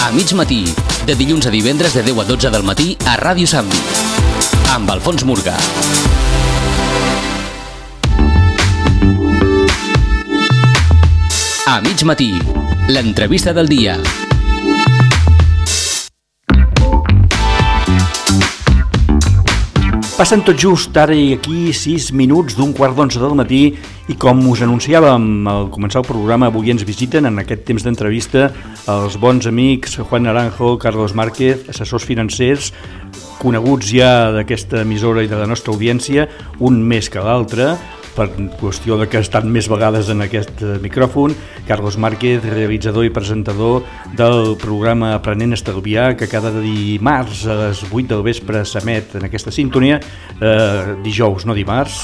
A mig matí, de dilluns a divendres de 10 a 12 del matí a Ràdio Sambi, amb Alfons Murga. A mig matí, l'entrevista del dia. Passen tot just ara i aquí 6 minuts d'un quart d'11 del matí i com us anunciàvem al començar el programa, avui ens visiten en aquest temps d'entrevista els bons amics Juan Naranjo, Carlos Márquez, assessors financers, coneguts ja d'aquesta emissora i de la nostra audiència, un més que l'altre, per qüestió de que estan més vegades en aquest micròfon. Carlos Márquez, realitzador i presentador del programa Aprenent a Estalviar, que cada dimarts a les 8 del vespre s'emet en aquesta sintonia, dijous, no dimarts,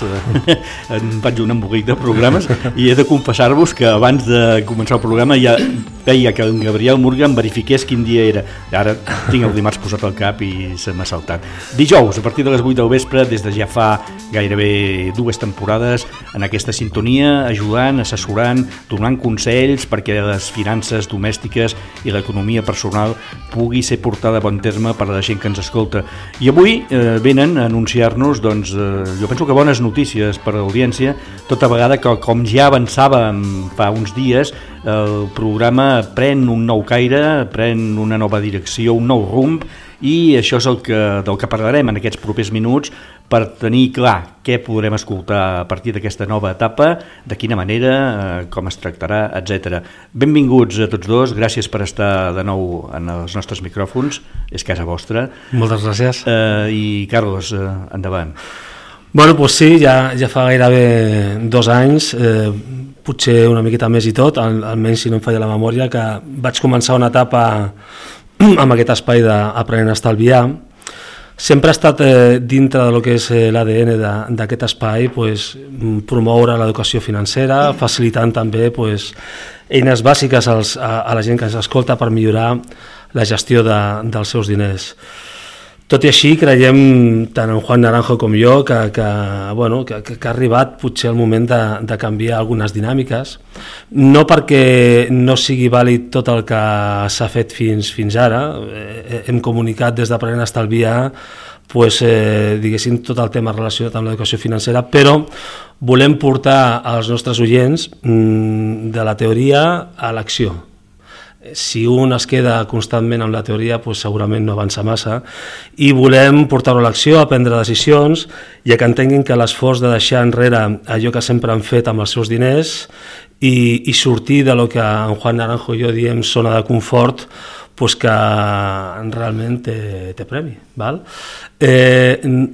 em faig un embolic de programes, i he de confessar-vos que abans de començar el programa ja veia que en Gabriel Murga em verifiqués quin dia era. Ara tinc el dimarts posat al cap i se m'ha saltat. Dijous, a partir de les 8 del vespre, des de ja fa gairebé 2 temporades, en aquesta sintonia, ajudant, assessorant, donant consells perquè les finances domèstiques i l'economia personal pugui ser portada a bon terme per a la gent que ens escolta. I avui venen a anunciar-nos, doncs, jo penso que bones notícies per a l'audiència, tota vegada que, com ja avançàvem fa uns dies, el programa pren un nou caire, pren una nova direcció, un nou rumb, i això és del que parlarem en aquests propers minuts per tenir clar què podrem escoltar a partir d'aquesta nova etapa, de quina manera, com es tractarà, etc. Benvinguts a tots dos, gràcies per estar de nou en els nostres micròfons, és casa vostra. Moltes gràcies. I Carlos, endavant. Bueno, doncs sí, ja fa gairebé 2 anys, potser una miqueta més i tot, almenys si no em falla la memòria, que vaig començar una etapa amb aquest espai d'Aprenent a Estalviar. Sempre ha estat dintre del que és l'ADN d'aquest espai, promoure l'educació financera, facilitant també eines bàsiques a la gent que ens escolta per millorar la gestió dels seus diners. Tot i així, creiem, tant en Juan Naranjo com jo, que ha arribat potser el moment de canviar algunes dinàmiques, no perquè no sigui vàlid tot el que s'ha fet fins ara. Hem comunicat des d'Aprenent a Estalviar diguéssim, tot el tema relacionat amb l'educació financera, però volem portar als nostres oients de la teoria a l'acció. Si un es queda constantment amb la teoria, segurament no avança massa, i volem portar-ho a l'acció, a prendre decisions, i que entenguin que l'esforç de deixar enrere allò que sempre han fet amb els seus diners i sortir de lo que en Juan Naranjo i jo diem zona de confort, que realment té premi. Val?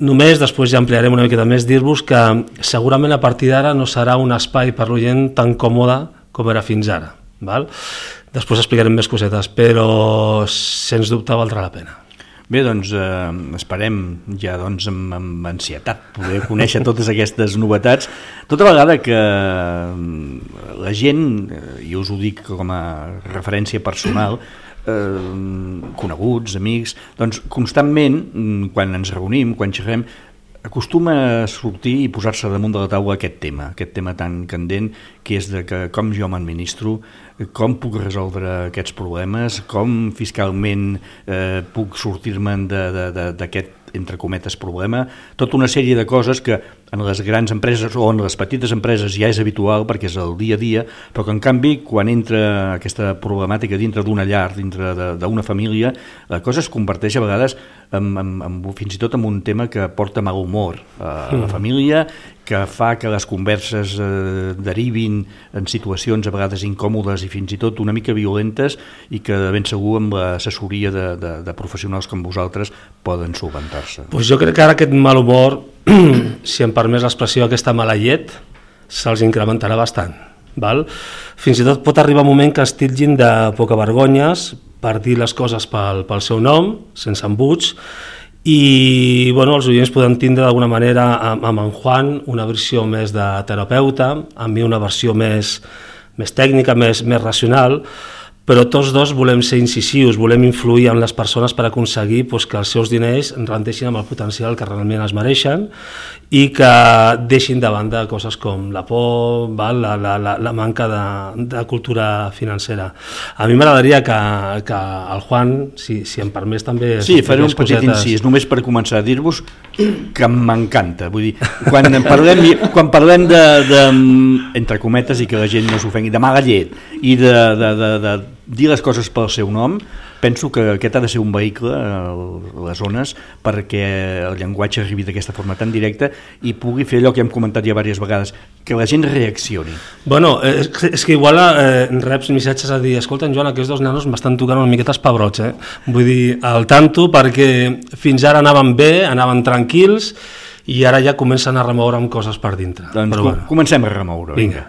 Només, després ja ampliarem una miqueta més, dir-vos que segurament a partir d'ara no serà un espai per l'oient tan còmode com era fins ara. Val? Després explicarem més cosetes, però sens dubte valdrà la pena. Bé, doncs esperem ja amb ansietat poder conèixer totes aquestes novetats, tota vegada que la gent, i us ho dic com a referència personal, coneguts, amics, doncs constantment, quan ens reunim, quan xerrem, acostuma a sortir i posar-se damunt de la taula aquest tema tan candent, que és de que com jo m'administro, com puc resoldre aquests problemes, com fiscalment puc sortir-me'n d'aquest, entre cometes, problema, tota una sèrie de coses que en les grans empreses o en les petites empreses ja és habitual perquè és el dia a dia, però que en canvi quan entra aquesta problemàtica dintre d'una llar, dintre d'una família, la cosa es converteix a vegades fins i tot en un tema que porta mal humor a la família, que fa que les converses derivin en situacions a vegades incòmodes i fins i tot una mica violentes, i que de ben segur amb l'assessoria de professionals com vosaltres poden solventar-se. Jo crec que ara aquest mal humor, si em permès l'expressió, aquesta mala llet, se'ls incrementarà bastant. Val? Fins i tot pot arribar un moment que es titllin de poca vergonyes per dir les coses pel seu nom, sense embuts, i els oients poden tindre d'alguna manera amb en Juan una versió més de terapeuta, amb mi una versió més tècnica, més racional, però tots dos volem ser incisius, volem influir en les persones per aconseguir que els seus diners rendeixin amb el potencial que realment es mereixen i que deixin de banda coses com la por, la manca de cultura financera. A mi m'agradaria que el Juan, si em permès també... Sí, faré un petit incís, només per començar a dir-vos que m'encanta. Vull dir, quan parlem de, entre cometes, i que la gent no s'ofengui, de mala llet i de dir les coses pel seu nom, penso que aquest ha de ser un vehicle a les zones perquè el llenguatge arribi d'aquesta forma tan directa i pugui fer allò que hem comentat ja diverses vegades, que la gent reaccioni. Bueno, és que igual reps missatges a dir, escolta, Joan, aquests dos nanos m'estan tocant una miqueta els pebrots, Vull dir, al tanto, perquè fins ara anaven bé, anaven tranquils i ara ja comencen a remoure amb coses per dintre. Doncs bueno, comencem a remoure. Vinga.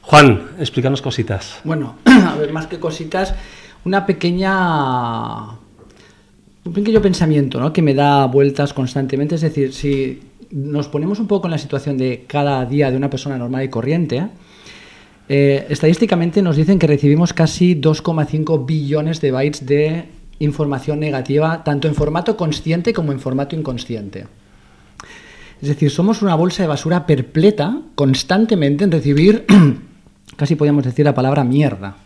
Juan, explícanos cositas. Bueno, a ver, más que cositas, un pequeño pensamiento, ¿no?, que me da vueltas constantemente. Es decir, si nos ponemos un poco en la situación de cada día de una persona normal y corriente, estadísticamente nos dicen que recibimos casi 2,5 billones de bytes de información negativa, tanto en formato consciente como en formato inconsciente. Es decir, somos una bolsa de basura perpleta constantemente en recibir, casi podríamos decir la palabra mierda.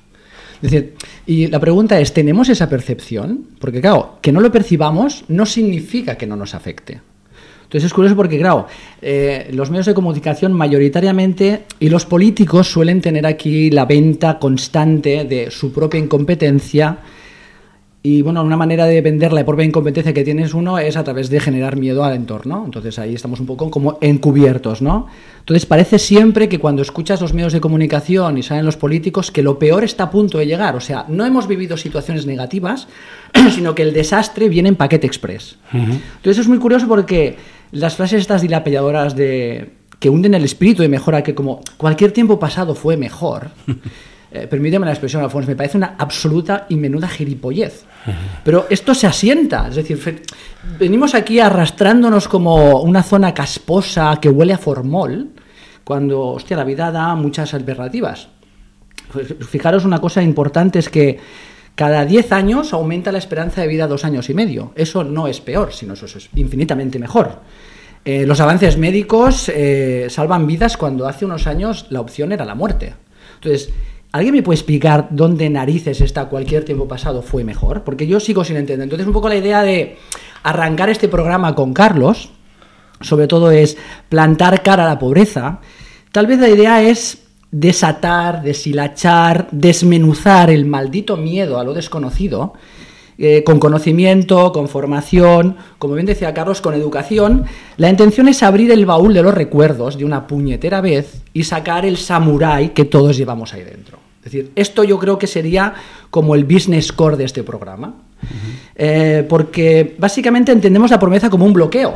Es decir, y la pregunta es, ¿tenemos esa percepción? Porque claro, que no lo percibamos no significa que no nos afecte. Entonces es curioso porque, claro, los medios de comunicación mayoritariamente y los políticos suelen tener aquí la venta constante de su propia incompetencia. Y bueno, una manera de vender la propia incompetencia que tienes uno es a través de generar miedo al entorno. Entonces ahí estamos un poco como encubiertos, ¿no? Entonces parece siempre que cuando escuchas los medios de comunicación y salen los políticos que lo peor está a punto de llegar. O sea, no hemos vivido situaciones negativas, sino que el desastre viene en paquete express. Entonces es muy curioso porque las frases estas dilapidadoras de que hunden el espíritu de mejora, que como cualquier tiempo pasado fue mejor... permíteme la expresión, Alfonso, me parece una absoluta y menuda gilipollez. Pero esto se asienta, es decir, venimos aquí arrastrándonos como una zona casposa que huele a formol, cuando, hostia, la vida da muchas alternativas. Pues, fijaros, una cosa importante es que cada 10 años aumenta la esperanza de vida 2 años y medio. Eso no es peor, sino eso es infinitamente mejor. Los avances médicos salvan vidas cuando hace unos años la opción era la muerte. Entonces, ¿alguien me puede explicar dónde narices está cualquier tiempo pasado fue mejor? Porque yo sigo sin entender. Entonces, un poco la idea de arrancar este programa con Carlos, sobre todo es plantar cara a la pobreza. Tal vez la idea es desatar, deshilachar, desmenuzar el maldito miedo a lo desconocido, con conocimiento, con formación, como bien decía Carlos, con educación. La intención es abrir el baúl de los recuerdos de una puñetera vez y sacar el samurái que todos llevamos ahí dentro. Es decir, esto yo creo que sería como el business core de este programa, porque básicamente entendemos la pobreza como un bloqueo.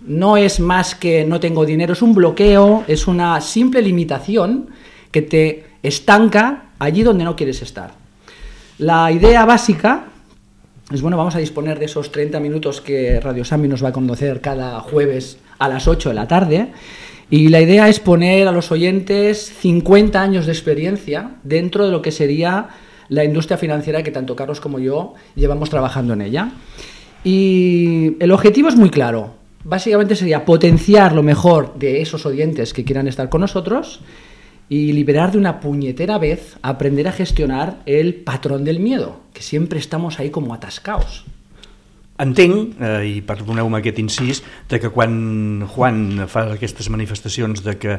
No es más que no tengo dinero, es un bloqueo, es una simple limitación que te estanca allí donde no quieres estar. La idea básica es, bueno, vamos a disponer de esos 30 minutos que Radio Sambi nos va a conocer cada jueves a las 8 de la tarde, y la idea es poner a los oyentes 50 años de experiencia dentro de lo que sería la industria financiera que tanto Carlos como yo llevamos trabajando en ella. Y el objetivo es muy claro. Básicamente sería potenciar lo mejor de esos oyentes que quieran estar con nosotros y liberar de una puñetera vez, aprender a gestionar el patrón del miedo, que siempre estamos ahí como atascados. Entenc, i perdoneu-me aquest incís, de que quan Juan fa aquestes manifestacions de que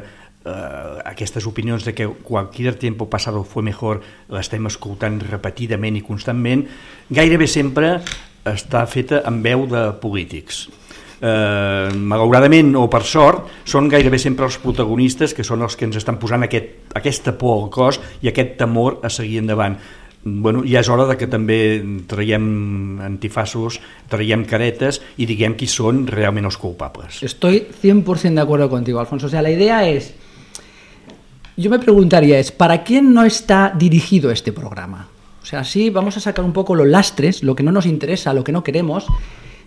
aquestes opinions de que cualquier tiempo pasado fue mejor l'estem escoltant repetidament i constantment, gairebé sempre està feta amb veu de polítics. Malauradament o per sort són gairebé sempre els protagonistes que són els que ens estan posant aquesta por al cos i aquest temor a seguir endavant. Bueno, ja és hora de que també traiem antifaços, traiem caretes y diguem qui són realment els culpables. Estoy 100% de acuerdo contigo, Alfonso. O sea, la idea es, yo me preguntaría, ¿para quién no está dirigido este programa? O sea, sí, vamos a sacar un poco los lastres, lo que no nos interesa, lo que no queremos.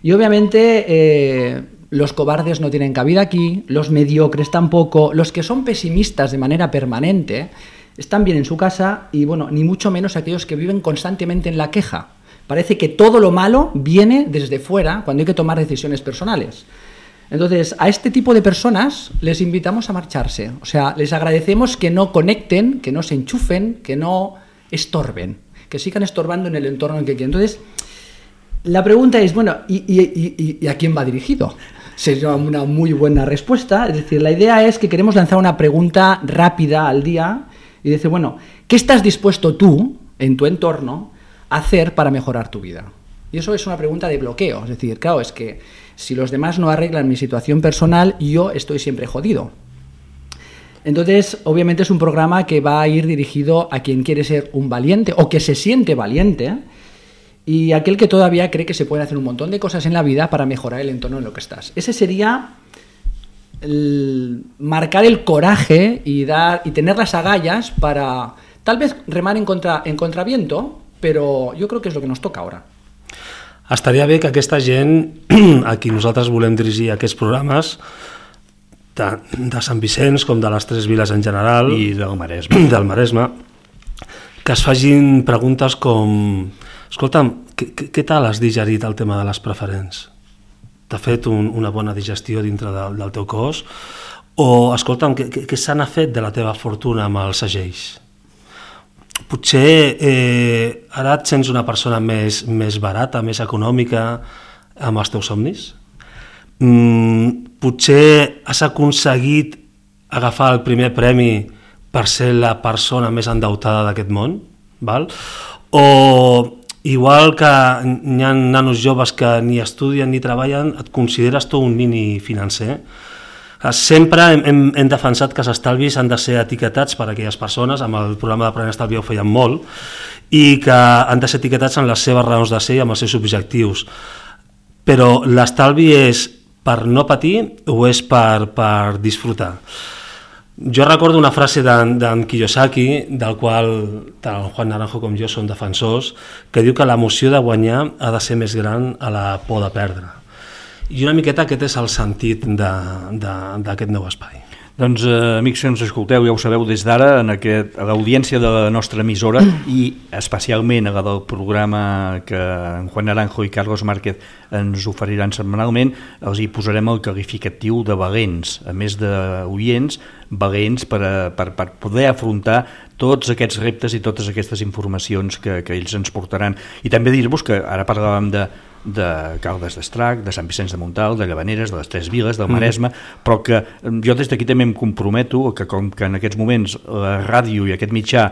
Y obviamente los cobardes no tienen cabida aquí, los mediocres tampoco, los que son pesimistas de manera permanente están bien en su casa y, bueno, ni mucho menos aquellos que viven constantemente en la queja. Parece que todo lo malo viene desde fuera cuando hay que tomar decisiones personales. Entonces, a este tipo de personas les invitamos a marcharse. O sea, les agradecemos que no conecten, que no se enchufen, que no estorben, que sigan estorbando en el entorno en que quieren. Entonces, la pregunta es, bueno, ¿y a quién va dirigido? Sería una muy buena respuesta. Es decir, la idea es que queremos lanzar una pregunta rápida al día y decir, bueno, ¿qué estás dispuesto tú, en tu entorno, a hacer para mejorar tu vida? Y eso es una pregunta de bloqueo. Es decir, claro, es que si los demás no arreglan mi situación personal, yo estoy siempre jodido. Entonces, obviamente es un programa que va a ir dirigido a quien quiere ser un valiente o que se siente valiente y aquel que todavía cree que se pueden hacer un montón de cosas en la vida para mejorar el entorno en lo que estás. Ese sería marcar el coraje y tener las agallas para tal vez remar en contraviento, pero jo crec que és el que nos toca ara. Estaria bé que aquesta gent a qui nosaltres volem dirigir aquests programes de Sant Vicenç com de les tres viles en general i del Maresme, que es facin preguntes com escolta'm, què tal has digerit el tema de les preferents? T'ha fet una bona digestió dintre del teu cos? O escolta'm, què se n'ha fet de la teva fortuna amb els segells? Potser ara et sents una persona més barata, més econòmica amb els teus somnis? Potser has aconseguit agafar el primer premi per ser la persona més endeutada d'aquest món? Val? O igual que hi ha nanos joves que ni estudien ni treballen, et consideres tu un nini financer? Sempre hem defensat que els estalvis han de ser etiquetats per a aquelles persones, amb el programa d'Aprenent a Estalviar ho feien molt, i que han de ser etiquetats en les seves raons de ser i amb els seus objectius. Però l'estalvi és per no patir o és per disfrutar? Jo recordo una frase d'en Kiyosaki, del qual tant Juan Naranjo com jo som defensors, que diu que l'emoció de guanyar ha de ser més gran a la por de perdre. I una miqueta aquest és el sentit d'aquest nou espai. Doncs, amics que ens escolteu, ja ho sabeu des d'ara, a l'audiència de la nostra emissora i especialment a la del programa que en Juan Naranjo i Carlos Márquez ens oferiran setmanalment, els hi posarem el qualificatiu de valents, a més d'oients, valents per poder afrontar tots aquests reptes i totes aquestes informacions que ells ens portaran. I també dir-vos que ara parlàvem de Caldes d'Estrac, de Sant Vicenç de Montalt, de Llavaneres, de les Tres Viles, del Maresme, però que jo des d'aquí també em comprometo que com que en aquests moments la ràdio i aquest mitjà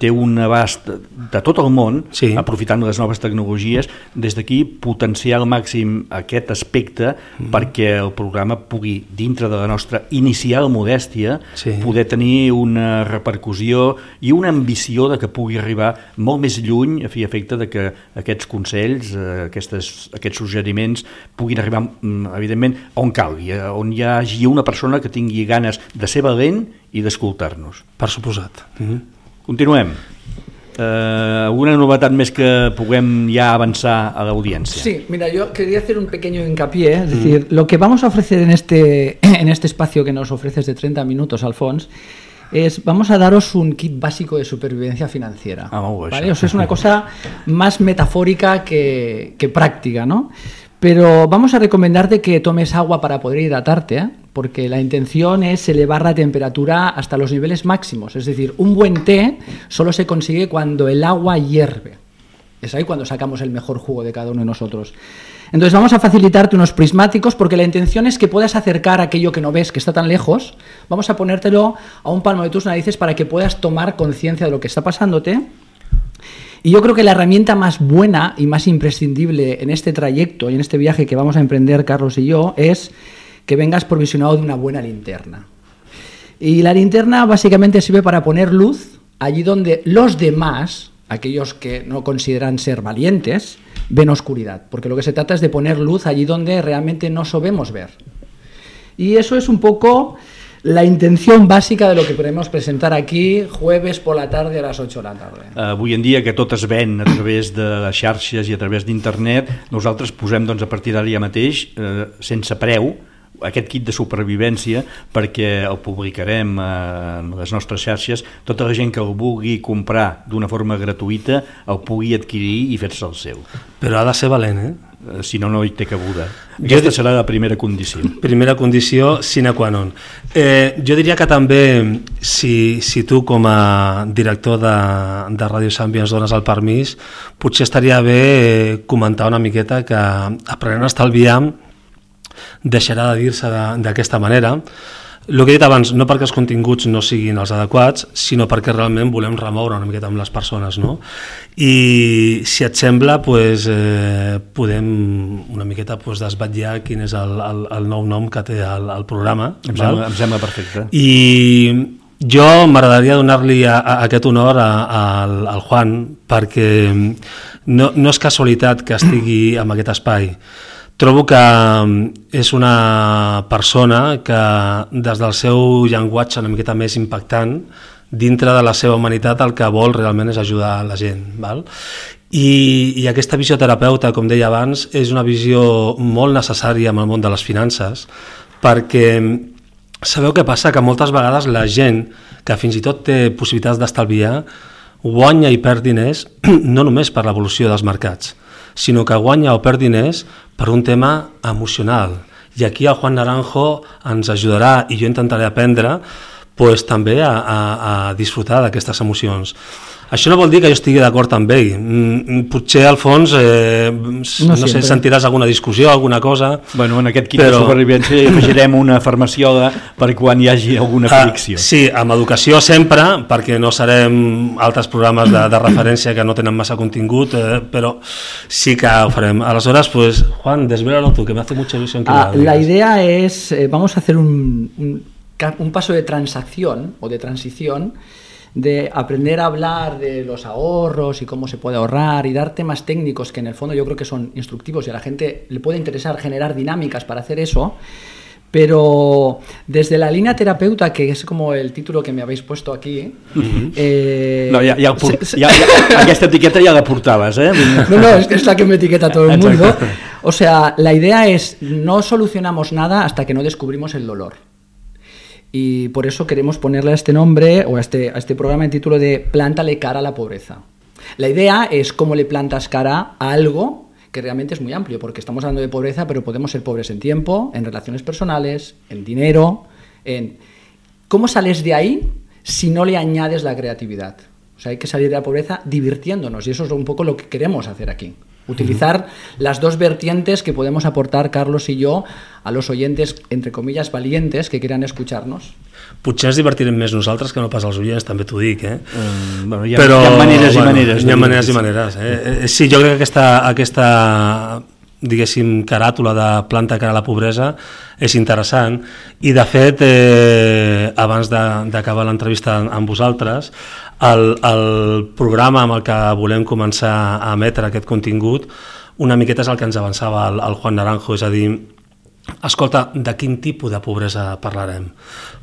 té un abast de tot el món, sí, aprofitant les noves tecnologies, des d'aquí potenciar al màxim aquest aspecte perquè el programa pugui, dintre de la nostra inicial modèstia, sí, poder tenir una repercussió i una ambició de que pugui arribar molt més lluny a fi i efecte de que aquests consells, aquests suggeriments puguin arribar, evidentment, on calgui, on hi hagi una persona que tingui ganes de ser valent i d'escoltar-nos. Per suposat. Continuem. ¿Alguna novedad más que puguem ya avanzar a la audiencia? Sí, mira, yo quería hacer un pequeño hincapié, es decir, lo que vamos a ofrecer en este espacio que nos ofreces de 30 minutos, Alfons, vamos a daros un kit básico de supervivencia financiera. ¿Vale? O sea, es una cosa más metafórica que práctica, ¿no? Pero vamos a recomendarte que tomes agua para poder hidratarte, porque la intención es elevar la temperatura hasta los niveles máximos. Es decir, un buen té solo se consigue cuando el agua hierve. Es ahí cuando sacamos el mejor jugo de cada uno de nosotros. Entonces vamos a facilitarte unos prismáticos porque la intención es que puedas acercar aquello que no ves, que está tan lejos. Vamos a ponértelo a un palmo de tus narices para que puedas tomar conciencia de lo que está pasándote. Y yo creo que la herramienta más buena y más imprescindible en este trayecto y en este viaje que vamos a emprender Carlos y yo es que vengas provisionado de una buena linterna. Y la linterna básicamente sirve para poner luz allí donde los demás, aquellos que no consideran ser valientes, ven oscuridad. Porque lo que se trata es de poner luz allí donde realmente no sabemos ver. Y eso es un poco la intención bàsica de lo que podemos presentar aquí jueves por la tarde a les 8 de la tarda. Avui en dia que tot es ven a través de les xarxes i a través d'internet, nosaltres posem a partir d'ara ja mateix, sense preu, aquest kit de supervivència perquè el publicarem en les nostres xarxes. Tota la gent que el vulgui comprar d'una forma gratuïta el pugui adquirir i fer-se el seu. Però ha de ser valent, si no, no hi té cabuda. Aquesta serà la primera condició. Primera condició sine qua non. Jo diria que també, si tu com a director de Ràdio Sambi ens dones el permís, potser estaria bé comentar una miqueta que aprenent a estalviar deixarà de dir-se d'aquesta manera. El que he dit abans, no perquè els continguts no siguin els adequats, sinó perquè realment volem remoure una miqueta amb les persones, no? I si et sembla, podem una miqueta desvetllar quin és el nou nom que té el programa. Em sembla perfecte. I jo m'agradaria donar-li aquest honor al Juan, perquè no és casualitat que estigui en aquest espai. Trobo que és una persona que des del seu llenguatge una miqueta més impactant, dintre de la seva humanitat el que vol realment és ajudar la gent. Val? I aquesta visió terapeuta, com deia abans, és una visió molt necessària en el món de les finances, perquè sabeu què passa? Que moltes vegades la gent que fins i tot té possibilitats d'estalviar guanya i perd diners no només per l'evolució dels mercats, sinó que guanya o perd diners per un tema emocional. I aquí el Juan Naranjo ens ajudarà, i jo intentaré aprendre també a disfrutar d'aquestes emocions. Això no vol dir que jo estigui d'acord amb ell. Potser al fons, no sé, sentiràs alguna discussió, alguna cosa... Bueno, en aquest kit de supervivència hi afegirem una farmaciola per quan hi hagi alguna fricció. Sí, amb educació sempre, perquè no serem altres programes de referència que no tenen massa contingut, però sí que ho farem. Aleshores, pues, Juan, desvélalo tú, que me hace mucha ilusión. La idea es, vamos a hacer un paso de transacción o de transición, de aprender a hablar de los ahorros y cómo se puede ahorrar y dar temas técnicos que en el fondo yo creo que son instructivos y a la gente le puede interesar generar dinámicas para hacer eso, pero desde la línea terapeuta, que es como el título que me habéis puesto aquí... No, aquesta etiqueta ja la portaves, ¿eh? No, es la que me etiqueta todo el mundo. O sea, la idea es, no solucionamos nada hasta que no descubrimos el dolor. Y por eso queremos ponerle a este nombre o a este programa el título de Plántale cara a la pobreza. La idea es cómo le plantas cara a algo que realmente es muy amplio, porque estamos hablando de pobreza, pero podemos ser pobres en tiempo, en relaciones personales, en dinero, en... ¿Cómo sales de ahí si no le añades la creatividad? O sea, hay que salir de la pobreza divirtiéndonos, y eso es un poco lo que queremos hacer aquí. Utilizar las dos vertientes que podemos aportar Carlos y yo a los oyentes, entre comillas, valientes que quieran escucharnos. Potser ens divertirem més nosaltres que no pas els oients, també t'ho dic, Bueno, hi ha maneres i maneres. Hi ha maneres i maneres. Sí, jo crec que aquesta diguéssim, caràtula de planta cara a la pobresa és interessant, i de fet abans d'acabar l'entrevista amb vosaltres, el programa amb el que volem començar a emetre aquest contingut una miqueta és el que ens avançava el Juan Naranjo, és a dir, escolta, de quin tipus de pobresa parlarem?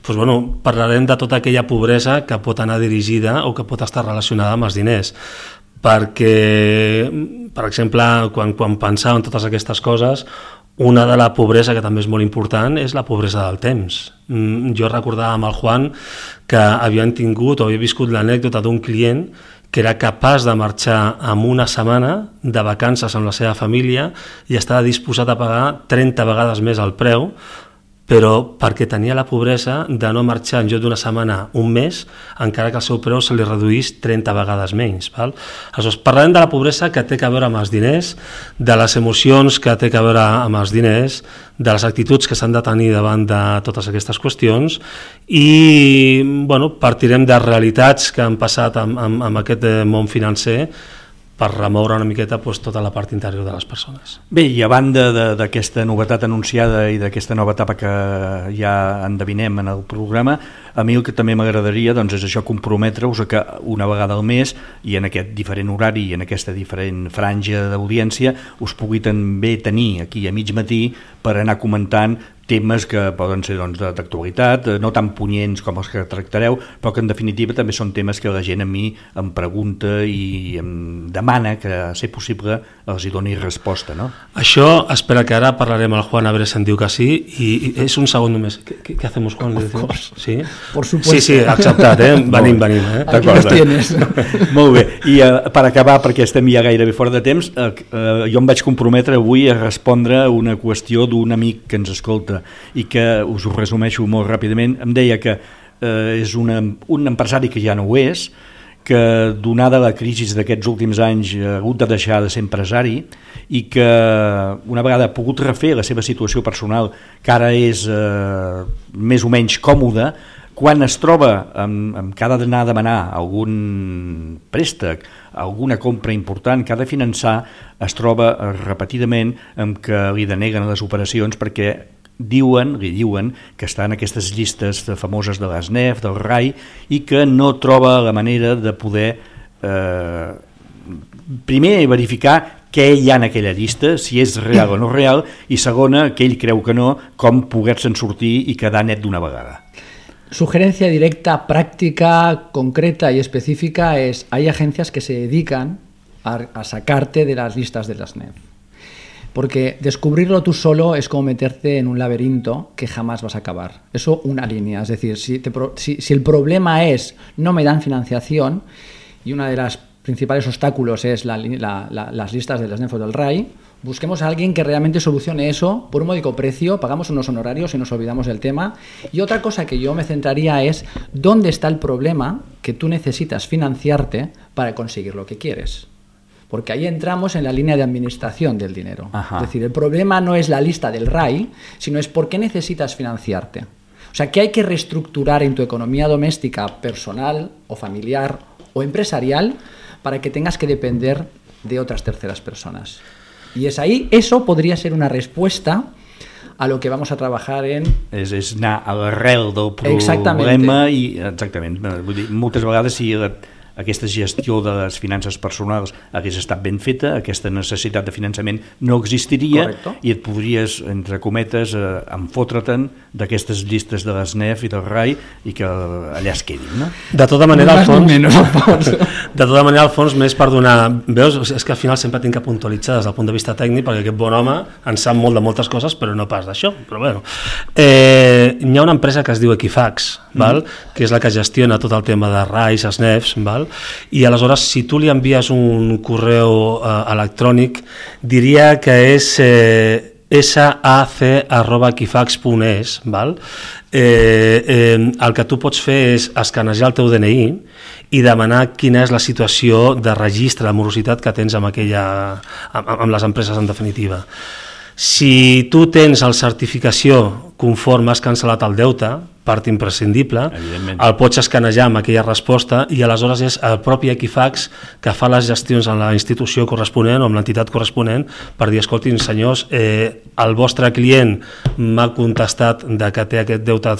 Doncs, bueno, parlarem de tota aquella pobresa que pot anar dirigida o que pot estar relacionada amb els diners, perquè, per exemple, quan pensàvem en totes aquestes coses, una de la pobresa que també és molt important és la pobresa del temps. Jo recordava amb el Juan que havien tingut o havia viscut l'anècdota d'un client que era capaç de marxar en una setmana de vacances amb la seva família i estava disposat a pagar 30 vegades més el preu, però perquè tenia la pobresa de no marxar en lloc d'una setmana un mes, encara que el seu preu se li reduís 30 vegades menys. Val? Aleshores, parlarem de la pobresa que té a veure amb els diners, de les emocions que té a veure amb els diners, de les actituds que s'han de tenir davant de totes aquestes qüestions, i bueno, partirem de realitats que han passat amb aquest món financer per remoure una miqueta tota la part interior de les persones. Bé, i a banda d'aquesta novetat anunciada i d'aquesta nova etapa que ja endevinem en el programa, a mi el que també m'agradaria és això, comprometre-us a que una vegada al mes i en aquest diferent horari i en aquesta diferent franja d'audiència us pugui també tenir aquí a mig matí per anar comentant temes que poden ser d'actualitat, no tan punyents com els que tractareu, però que en definitiva també són temes que la gent a mi em pregunta i em demana que, a ser possible, els hi doni resposta, no? Això, espera que ara parlarem al Juan, a veure si em diu que sí, i és un segon només. ¿Qué hacemos, Juan? ¿Sí? Por supuesto. Sí, acceptat, venim. Aquí los tienes. Molt bé, i per acabar, perquè estem ja gairebé fora de temps, jo em vaig comprometre avui a respondre una qüestió d'un amic que ens escolta i que us ho resumeixo molt ràpidament. Em deia que és un empresari que ja no ho és, que donada la crisi d'aquests últims anys ha hagut de deixar de ser empresari i que una vegada ha pogut refer la seva situació personal, que ara és més o menys còmoda, quan es troba amb que ha d'anar a demanar algun préstec, alguna compra important que ha de finançar, es troba repetidament amb que li deneguen les operacions perquè li diuen que està en aquestes llistes famoses de l'ASNEF, del RAI, i que no troba la manera de poder primer verificar què hi ha en aquella llista, si és real o no real, i segona, que ell creu que no, com poder-se'n sortir i quedar net d'una vegada. Sugerencia directa, práctica, concreta y específica es: hay agencias que se dedican a sacarte de las listas de las SNEF. Porque descubrirlo tú solo es como meterte en un laberinto que jamás vas a acabar. Eso una línea. Es decir, si el problema es no me dan financiación, y una de las principales obstáculos es las listas de las SNEF o del RAI, busquemos a alguien que realmente solucione eso por un módico precio, pagamos unos honorarios y nos olvidamos del tema. Y otra cosa que yo me centraría es dónde está el problema que tú necesitas financiarte para conseguir lo que quieres. Porque ahí entramos en la línea de administración del dinero. Ajá. Es decir, el problema no es la lista del RAI, sino es por qué necesitas financiarte. O sea, ¿qué hay que reestructurar en tu economía doméstica, personal o familiar o empresarial para que tengas que depender de otras terceras personas? Y es ahí, eso podría ser una respuesta a lo que vamos a trabajar en... És anar a l'arrel del problema i, exactament, vull dir, moltes vegades si aquesta gestió de les finances personals hagués estat ben feta, aquesta necessitat de finançament no existiria. Correcto. I et podries, entre cometes, enfotre-te'n d'aquestes llistes de l'ASNEF i del RAI i que allà es quedin, no? De tota manera, al fons, més per donar... Veus, és que al final sempre tinc que puntualitzar des del punt de vista tècnic, perquè aquest bon home en sap molt de moltes coses, però no pas d'això. Però bueno. Hi ha una empresa que es diu Equifax, val? Que és la que gestiona tot el tema de RAIs, SNEFs, val? I aleshores, si tu li envies un correu electrònic, diria que és sac@equifax.es, val? El que tu pots fer és escanejar el teu DNI i demanar quina és la situació de registre de morositat que tens amb les empreses en definitiva. Si tu tens la certificació conforme has cancel·lat el deute, part imprescindible, el pots escanejar amb aquella resposta i aleshores és el propi Equifax que fa les gestions en la institució corresponent o amb l'entitat corresponent per dir, escoltin senyors, el vostre client m'ha contestat que té aquest deute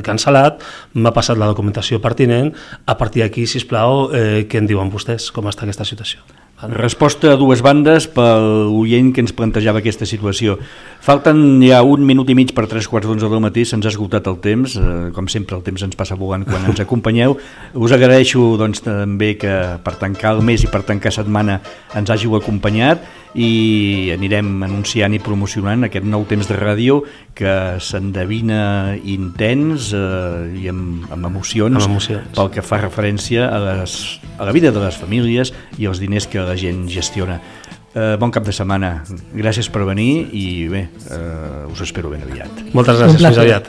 cancel·lat, m'ha passat la documentació pertinent, a partir d'aquí, sisplau, què en diuen vostès, com està aquesta situació? Resposta a dues bandes pel oient que ens plantejava aquesta situació. Falten ja 1 minut i mig per 3:15 del matí, se'ns ha esgotat el temps, com sempre el temps ens passa volant quan ens acompanyeu. Us agraeixo doncs, també que per tancar el mes i per tancar setmana ens hàgiu acompanyat i anirem anunciant i promocionant aquest nou temps de ràdio que s'endevina intens i amb emocions pel que fa referència a la vida de les famílies i els diners que la gent gestiona. Bon cap de setmana, gràcies per venir i bé, us espero ben aviat. Moltes gràcies, fins aviat.